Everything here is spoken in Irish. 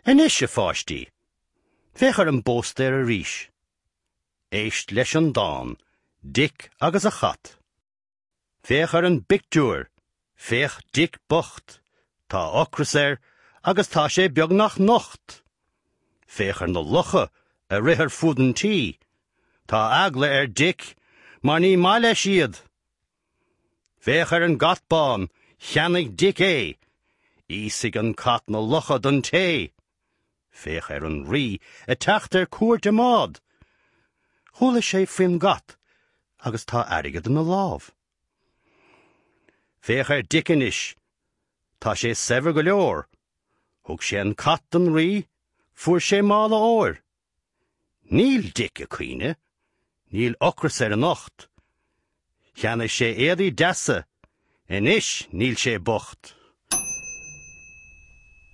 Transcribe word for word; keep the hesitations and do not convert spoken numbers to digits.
Anois a pháistí, féach ar an bpóstaer arís. Éist leis an dán, Dick agus a chat. Féach ar an bpictiúr, féach Dick bocht, tá ocras air agus tá sé beagnach nocht. Féach ar na lucha a rith ar fud an tí. Tá eagla ar Dick mar ní maith leis iad. Féach ar an gcat bán, cheannaigh Dick é. Íosfaidh an cat na lucha don tae. Féach ar an rí ag teacht ar cuairt i mbád. Chuala sé faoin gcat agus tá airgead ina lámh. Féach ar Dick anois, tá sé saibhir go leor. Thug sé an cat don rí, fuair sé mála óir. Níl Dick ag caoineadh, níl ocras air anocht. Cheannaigh sé éadaí deasa, anois níl sé bocht.